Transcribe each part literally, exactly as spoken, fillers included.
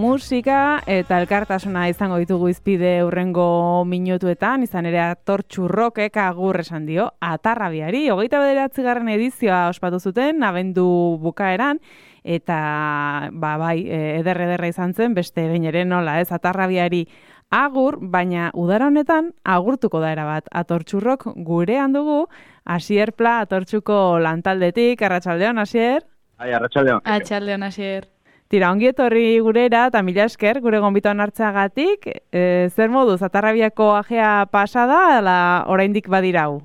musika eta elkartasuna izango ditugu izpide hurrengo minutuetan, izan ere Atortxu Rockek agur esan dio Atarrabiari. Hogeita bederatzigarren edizioa ospatu zuten, abendu bukaeran, eta ba, bai, eder-ederra izan zen, beste behin ere nola, ez, Atarrabiari agur, baina udara honetan agurtuko da erabat. Atortxu Rock gurean dugu, Asier Pla, Atortxuko lantaldetik, arratsaldeon, Asier? Ai, arratsaldeon. Arratsaldeon, Asier. Tira, ongi etorri gurera, eta mila esker, gure gonbiton hartzagatik, e, zer moduz, Atarrabiako ajea pasada, ala oraindik badirau?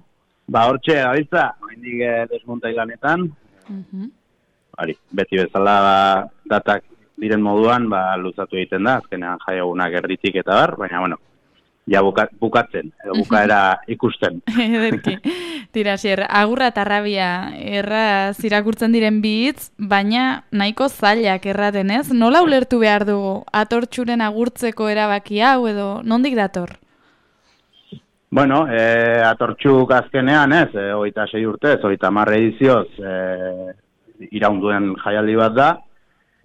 Ba, hortxe, gabiltza, oraindik desmontai lanetan. Uh-huh. Bari, beti bezala ba, datak diren moduan, ba, luzatu egiten da, azkenean jaiogunak erditik eta bar, baina, bueno, ja buka, bukatzen, edo bukaera ikusten. Ederki. Tira, Asier, agurra Atarrabia erraz irakurtzen diren bi hitz, baina nahiko zailak erraten ez? Nola ulertu behar dugu Atortxuren agurtzeko erabaki hau edo nondik dator? Bueno, e, Atortxuk azkenean ez, e, hogeita sei urtez, hogeita hamar edizioz e, iraunduen jaialdi bat da,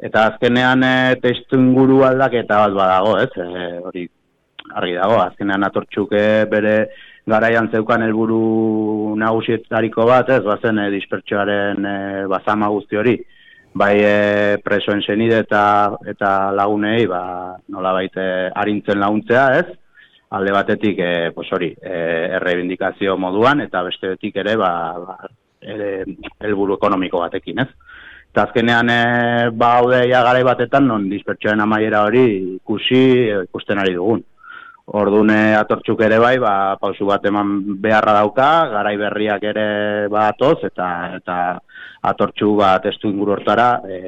eta azkenean e, testu inguru aldaketa bat badago, ez? E, hori argi dago, azkenean Atortxuk e, bere garaian zeukan helburu nagusietariko bat, ez, bazen e, dispertsioaren e, bazama guzti hori, bai e, presoen senide eta eta lagunei, ba, nolabait e, arintzen laguntzea, ez? Alde batetik, e, pues hori, e, errebindikazio moduan, eta bestetik ere, ba, ba ere, helburu ekonomiko batekin, ez? Eta azkenean, e, ba, haude ja garai batetan, non dispertsioaren amaiera hori ikusi, e, ikusten ari dugun. Orduan Atortxuk ere bai, ba, pausu bat eman beharra dauka, garai berriak ere batoz, eta eta Atortxu ba, testu inguru hortara e,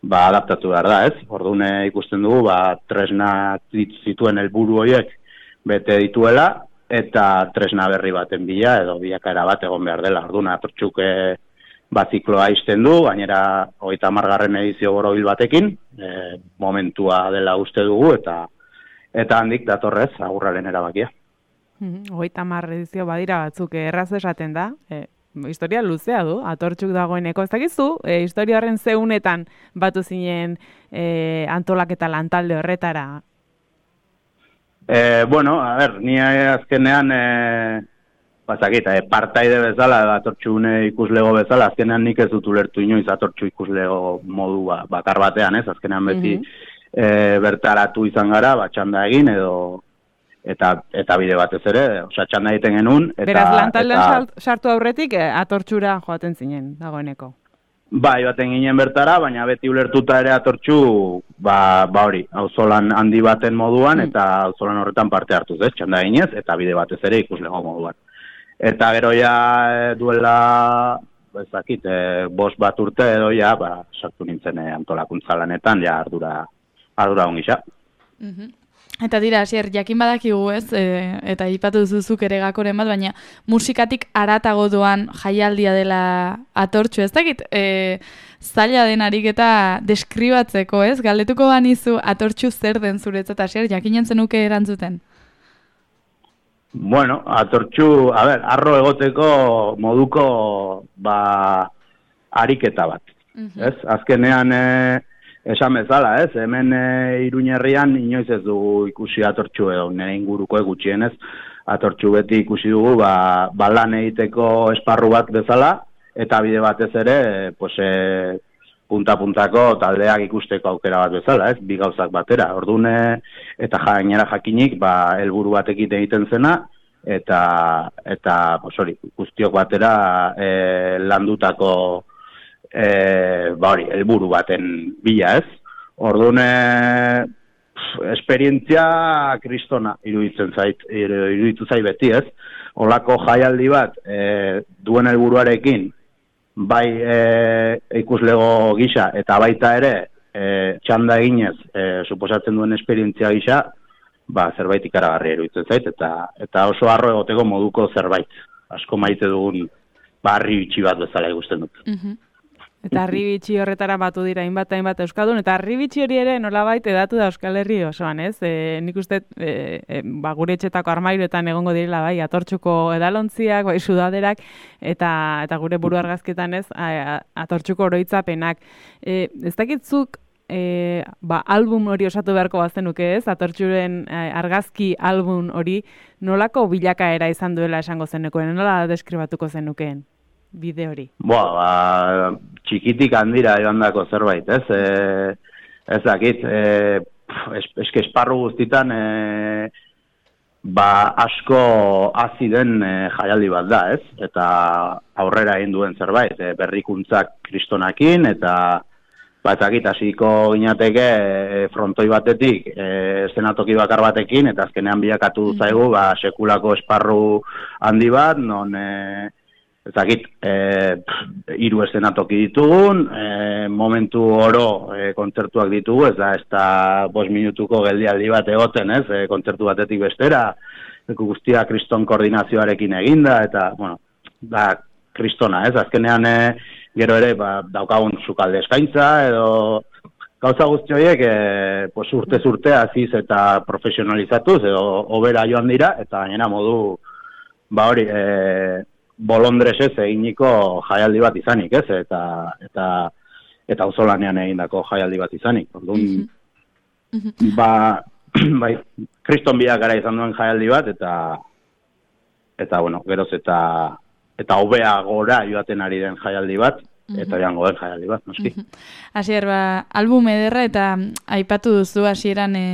ba, adaptatu behar da, ez? Orduan ikusten dugu, ba, tresna zituen helburu horiek bete dituela, eta tresna berri baten bila, edo bilakaera bat egon behar dela. Orduan Atortxuk e, ba, zikloa izten du, gainera hogeita hamargarren edizio borobil batekin, e, momentua dela uste dugu, eta Eta handik datorrez, agurraren erabakia. Hogeita hamar edizio badira batzuk, erraz esaten da, e, historia luzea du, Atortxuk dagoeneko. Ez dakizu, e, historia horren zeunetan batu zinen e, antolaketa lantalde horretara? E, bueno, a ber, ni azkenean, e, bazakita, e, partaide bezala, Atortxune ikuslego bezala, azkenean nik ez dut ulertu inoiz Atortxu ikuslego modu ba, bakar batean, ez? Azkenean beti, mm-hmm. E, bertaratu izan gara, ba, txanda egin edo eta eta bide batez ere, osea txanda egiten genuen eta Beraz lantaldean sartu aurretik e, Atortxura joaten zinen dagoeneko. Bai, baten ginen bertara, baina beti ulertuta ere Atortxu, ba ba hori, auzolan handi baten moduan mm. eta auzolan horretan parte hartuz, ez? Txanda eginez eta bide batez ere ikuslego moduan. Eta gero ja e, duela ez dakit, e, bost bat urte edo ja, ba, sartu nintzen e, antolakuntza lanetan, ja ardura ardura ongisa. Uh-huh. Eta dira, Asier, jakin badakigu ez, e, eta ipatu duzuzuk ere gakoren bat, baina musikatik haratago doan jaialdia dela Atortxu, ez dakit, e, zaila denarik eta deskribatzeko, ez? Galdetuko banizu Atortxu zer den zuretzat, Asier, jakinen zenuke erantzuten? Bueno, Atortxu, a ber, arro egoteko moduko, ba, ariketa bat, uh-huh. ez? Azkenean, e, esan bezala, ez? Hemen e, Iruñerrian inoiz ez dugu ikusi Atortxu edo nire inguruko gutxienez. Atortxu beti ikusi dugu ba, ba lan egiteko esparru bat bezala eta bide batez ere pues, e, punta-puntako taldeak ikusteko aukera bat bezala, ez? Bi gauzak batera. Orduan eta gainera jakinik ba helburu batekin egiten zena eta eta pues hori, guztiok batera e, landutako E, ba hori, helburu baten bila, ez? Orduan, e, esperientzia kristona iruditzen zait, iruditu zait beti, ez? Olako jaialdi bat e, duen helburuarekin, bai e, ikuslego gisa eta baita ere e, txanda eginez, e, suposatzen duen esperientzia gisa, ba zerbait ikaragarri iruditzen zait eta eta oso harro egoteko moduko zerbait. Asko maite dugun barri bitxi bat bezala ikusten dut. Mhm. Eta Arribitxi horretara batu dira hainbat hainbat euskaldun, eta Arribitxi hori ere nolabait edatu da Euskal Herri osoan, ez? E, nik uste e, e, ba, gure etxetako armairuetan egongo direla, bai, Atortxuko edalontziak, bai, sudaderak, eta eta gure buru argazketan, ez, a, a, Atortxuko oroitzapenak. E, ez dakitzuk e, ba, album hori osatu beharko bazenuke ez, Atortxuren e, argazki album hori nolako bilakaera izan duela esango zenuken, nola deskribatuko zenukeen bide hori? Boa, ba, txikitik handira joandako zerbait, ez? E, ez dakit, e, eske esparru guztitan e, ba asko hazi den e, jaialdi bat da, ez? Eta aurrera egin duen zerbait, e, berrikuntzak kristonakin, eta ba, ez dakit, hasiko ginateke e, frontoi batetik, e, zenatoki bakar batekin, eta azkenean bilakatu zaigu, ba, sekulako esparru handi bat, non, e, ez dakit, e, hiru eszenatoki ditugun, e, momentu oro e, kontzertuak ditugu, ez da, ez da bost minutuko geldialdi bat egoten, ez, e, kontzertu batetik bestera, guztia kriston koordinazioarekin eginda, eta, bueno, da, kristona, ez, azkenean e, gero ere, ba, daukagun sukalde eskaintza, edo gauza guzti horiek, e, pues, urte urte aziz eta profesionalizatuz, edo obera joan dira, eta gainera modu, ba hori, e, bolondresez eginiko jaialdi bat izanik, ez? Eta eta eta auzolanean egindako jaialdi bat izanik. Orduan, mm-hmm. ba, bai, kriston bilakara izan duen jaialdi bat, eta eta bueno, geroz eta eta hobea gora joaten ari den jaialdi bat, eta joango den jaialdi bat, noski. Hasier, ba, album ederra eta aipatu duzu hasieran e,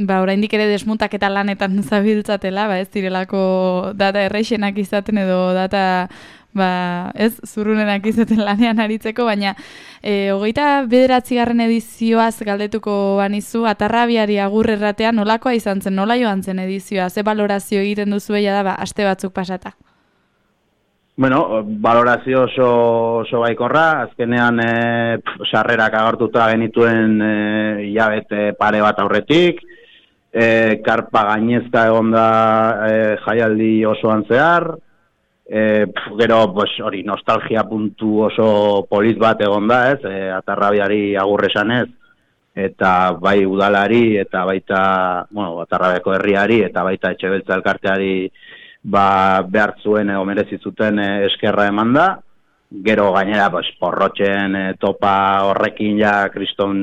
ba, oraindik ere desmuntaketa lanetan zabiltzatela, ba, ez direlako data erreixenak izaten edo data ba, ez zurrunenak izaten lanean aritzeko, baina e, hogeita bederatzigarren edizioaz galdetuko banizu, Atarrabiari agur erratea nolakoa izan zen, nola joan zen edizioa, ze balorazio egiten duzu eia da, ba, aste batzuk pasata? Bueno, valorazio oso, oso baikorra, azkenean e, sarrerak agartuta genituen e, hilabete pare bat aurretik, e, karpa gainezka egon da e, jaialdi osoan zehar, e, pf, gero pues, hori nostalgia puntu oso polit bat egon da, ez, e, Atarrabiari agurre esanez, eta bai udalari, eta baita, bueno, Atarrabiako herriari, eta baita Etxebeltza elkarteari ba, behar zuen edo merezi zuten e, eskerra eman da, gero gainera pues, porrotxen e, topa horrekin ja kriston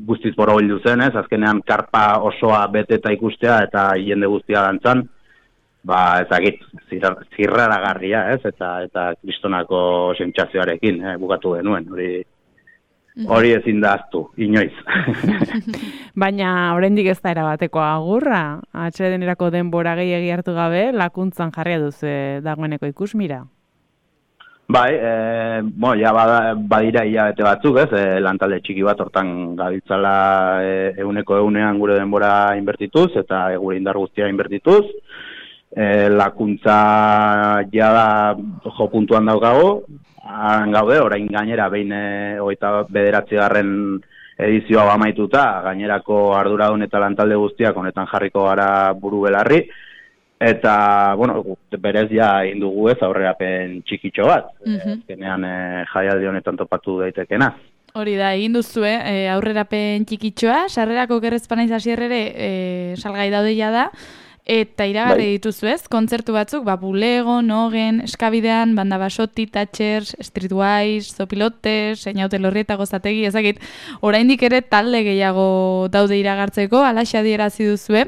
guztiz borobildu zen, ez, azkenean karpa osoa beteta ikustea eta jende guztia dantzan, ba, ezagit, zirraragarria, ez, eta eta kristonako sentsazioarekin e, bukatu genuen, hori hori ezin da aztu, inoiz. Baina, oraindik ez da erabateko agurra, atsedenerako denbora gehiegi hartu gabe, lakuntzan jarria duzu dagoeneko ikusmira. Bai, e, bo, ja bada, badira hilabete batzuk, ez, e, lantalde txiki bat hortan gabiltzala e, euneko eunean gure denbora inbertituz, eta e, gure indar guztia inbertituz, e, lakuntza jada jo puntuan daukago, han gaude, orain gainera behin e, hogeita bederatzigarren edizioa amaituta, gainerako arduradun eta lantalde guztiak honetan jarriko gara buru belarri, eta, bueno, berez ja indugu ez aurrerapen txikitxo bat, mm-hmm. Ezkenean e, jaialdi honetan topatu daitekena. Hori da, egin duzue, e, aurrerapen txikitxoa, sarrerako gerrezpanaiz hasierrere e, salgai daudeia da, eta iragarri bai. Dituzu ez, kontzertu batzuk, ba, Bulego, Nogen, Eskabidean, Banda Basoti, Thatchers, Streetwise, Zopilotes, Seinaute Lorrieta Gozategi, ezakit, oraindik ere talde gehiago daude iragartzeko, alaxe adierazi duzue.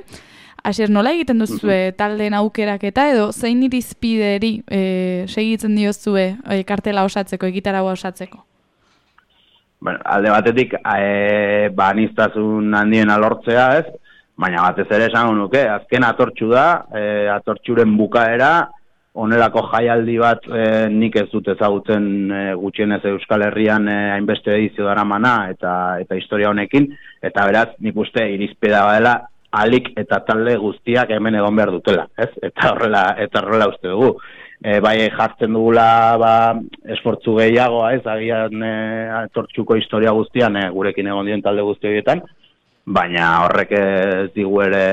Hasier, nola egiten duzue taldeen aukeraketa edo zein irizpideri e, segitzen diozue e, kartela osatzeko, egitaragua osatzeko? Bueno, alde batetik, e, ba, aniztasun handien alortzea ez, baina batez ere esango nuke, azken atortxu da, e, atortxuren bukaera, onelako jaialdi bat e, nik ez dut ezagutzen e, gutxienez Euskal Herrian e, hainbeste edizio daramana eta eta historia honekin, eta beraz nik uste irizpida badela alik eta talde guztiak hemen egon behar dutela, ez? Eta horrela, eta horrela uste dugu. E, bai jartzen dugula ba, esfortzu gehiagoa, ez? Agian e, atortxuko historia guztian e, gurekin egon dien talde guzti horietan, baina horrek ez digu ere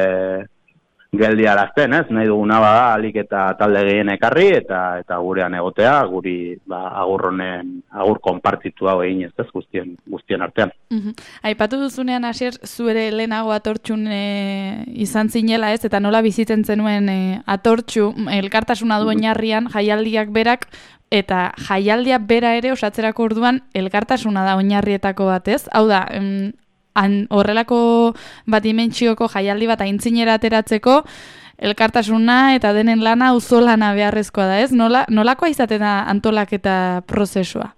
geldiarazten, ez? Nahi duguna bada alik eta talde gehien ekarri eta eta gurean egotea, guri ba agur honen agur konpartitu hau egin ez, ez guztien guztien artean. Mhm. Aipatu duzunean Asier zu ere lehenago Atortxun e, izan zinela, ez? Eta nola bizitzen zenuen e, Atortxu elkartasuna duen oinarrian jaialdiak berak eta jaialdia bera ere osatzerako orduan elkartasuna da oinarrietako bat, ez? Hau da, em, Han, horrelako bat dimentsioko jaialdi bat aintzinera ateratzeko elkartasuna eta denen lana auzolana beharrezkoa da, ez? Nola, nolakoa izaten da antolaketa prozesua?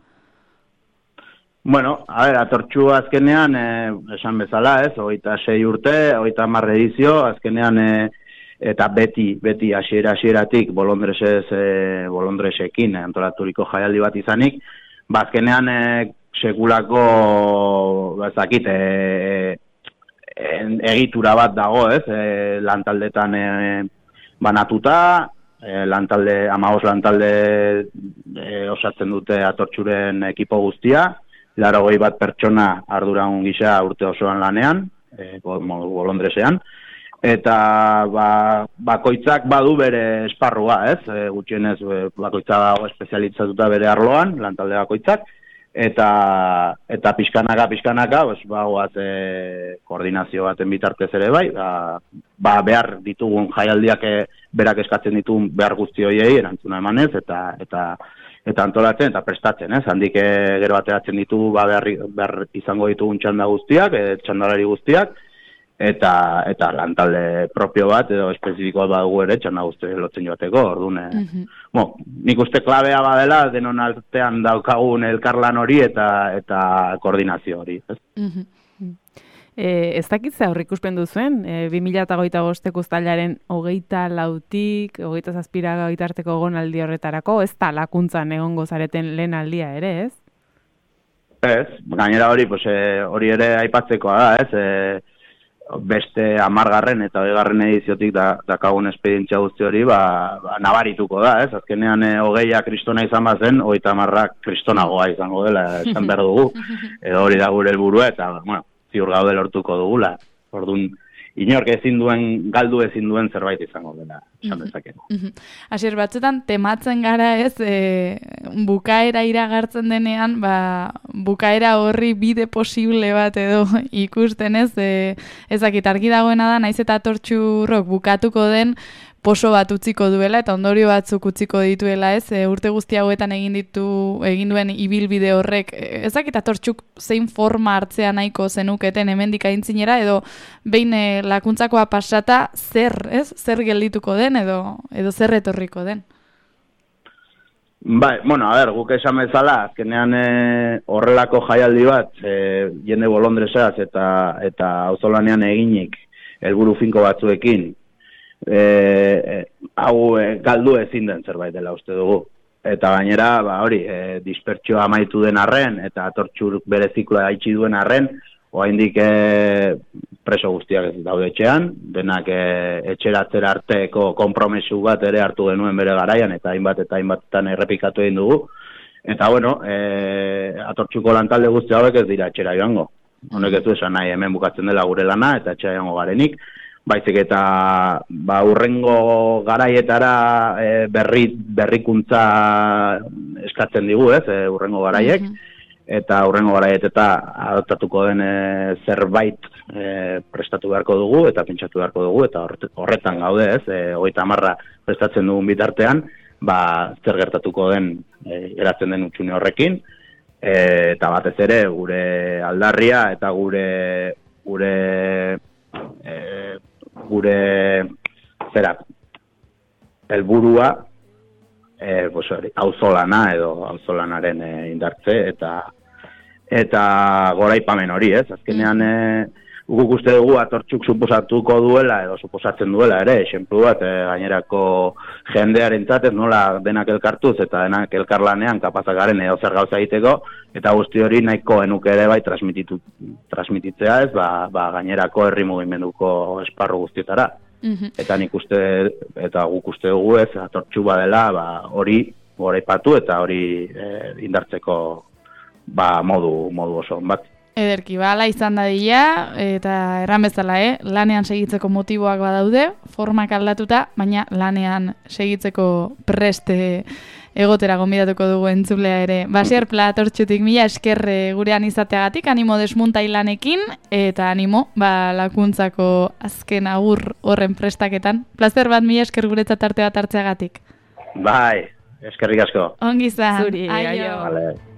Bueno, a ver, Atortxu azkenean, eh, esan bezala, ez? Hogeita sei urte, hogeita hamar edizio, azkenean eh, eta beti, beti hasiera hasieratik bolondresez, eh, bolondresekin antolaturiko jaialdi bat izanik, ba azkenean eh, sekulako bazakit e, e, egitura bat dago, ez? E, lantaldetan e, banatuta, e, lantalde hamabost lantalde e, osatzen dute Atortxuren ekipo guztia, laurogei bat pertsona arduran gisa urte osoan lanean, e, bolondresean, eta ba, bakoitzak badu bere esparrua, ez? E, gutxienez bakoitza dago espezialitzatuta bere arloan, lantalde bakoitzak, eta eta pixkanaka pixkanaka pues bagoaz e, koordinazio baten bitartez ere bai, ba, ba behar ditugun jaialdiak e, berak eskatzen ditugun behar guzti horiei erantzuna emanez eta eta eta antolatzen eta prestatzen, ez? Handik e, gero ateratzen ditugu ba behar, behar izango ditugun txanda guztiak, e, txandalari guztiak eta eta lantalde propio bat edo espezifikoa badugu ere txanda guzti lotzen joateko, orduan e, mm-hmm. Bueno, nik uste klabea badela denon artean daukagun elkarlan hori eta eta koordinazio hori, ez? Mm-hmm. E, ez dakitze aurrikuspen duzuen, e, bi mila hogeita bosteko uztailaren hogeita lautik, hogeita zazpira gitarteko egonaldi horretarako, ez da lakuntzan egongo zareten lehen aldia ere, ez? Ez, gainera hori, pues, e, hori ere aipatzekoa da, ez? E, beste hamargarren eta hogeigarren ediziotik da, dakagun espedientzia guzti hori, ba, ba, nabarituko da, ez? Azkenean e, hogeia kristona izan bazen, hogeita hamarrak kristonagoa izango dela, esan behar dugu. Edo hori da gure helburua eta, bueno, ziur gaude lortuko dugula. Orduan, inork ezin duen, galdu ezin duen zerbait izango dela, esan dezakegu. Asier, batzutan tematzen gara ez, e, bukaera iragartzen denean, ba, bukaera horri bide posible bat edo ikusten ez, e, ezakit argi dagoena da, naiz eta Atortxurrok bukatuko den, poso bat utziko duela eta ondorio batzuk utziko dituela, ez? E, urte guzti hauetan egin ditu egin duen ibilbide horrek, ezakit Atortxuk zein forma hartzea nahiko zenuketen hemendik aintzinera edo behin e, lakuntzakoa pasata zer, ez? Zer geldituko den edo edo zer etorriko den? Bai, bueno, a ber, guk esan bezala, azkenean e, horrelako jaialdi bat, e, jende bolondresaz eta eta auzolanean eginik helburu finko batzuekin, E, e, hau e, galdu ezin den zerbait dela uste dugu. Eta gainera, ba, hori, e, dispertsioa amaitu den arren, eta Atortxur bere zikloa haitsi duen arren, oraindik e, preso guztiak ez daude etxean, denak e, etxeratzera arteko konpromesu bat ere hartu genuen bere garaian, eta hainbat eta hainbatetan errepikatu egin dugu. Eta bueno, e, Atortxuko lantalde guzti hauek ez dira etxera joango. Honek ez du esan nahi hemen bukatzen dela gure lana, eta etxera joango garenik. Baizik eta ba, urrengo garaietara e, berri, berrikuntza eskatzen digu, ez, e, urrengo garaiek, mm-hmm. eta urrengo garaieteta adoptatuko den e, zerbait e, prestatu beharko dugu, eta pentsatu beharko dugu, eta horretan gaude, ez, e, hogeita hamarra prestatzen dugun bitartean, ba, zer gertatuko den e, eratzen den utxune horrekin, e, eta batez ere gure aldarria eta gure gure e, gure zera helburua eh pues hori auzolana edo auzolanaren e, indartze eta eta goraipamen hori, ez? Azkenean e, guk uste dugu Atortxuk suposatuko duela edo suposatzen duela ere, esenplu bat e, gainerako jendearentzat ez nola denak elkartuz eta denak elkarlanean kapazak garen edo zer gauza egiteko eta guzti hori nahiko genuke ere bai transmititu transmititzea, ez? Ba, ba gainerako herri mugimenduko esparru guztietara. Mm-hmm. Eta nik uste eta guk uste dugu, ez? Atortxu badela, ba hori goraipatu eta hori e, indartzeko ba modu modu oso bat. Ederki, bala izan dadila, eta erran bezala, eh? Lanean segitzeko motiboak badaude, formak aldatuta, baina lanean segitzeko preste egotera gonbidatuko dugu entzulea ere. Basier Pla Atortxutik mila eskerre gurean izateagatik, animo desmuntai lanekin, eta animo, ba, lakuntzako azken agur horren prestaketan. Plazer bat mila esker guretzat arte bat hartzeagatik. Bai, eskerrik asko. Ongi izan. Zuri, aio. Vale.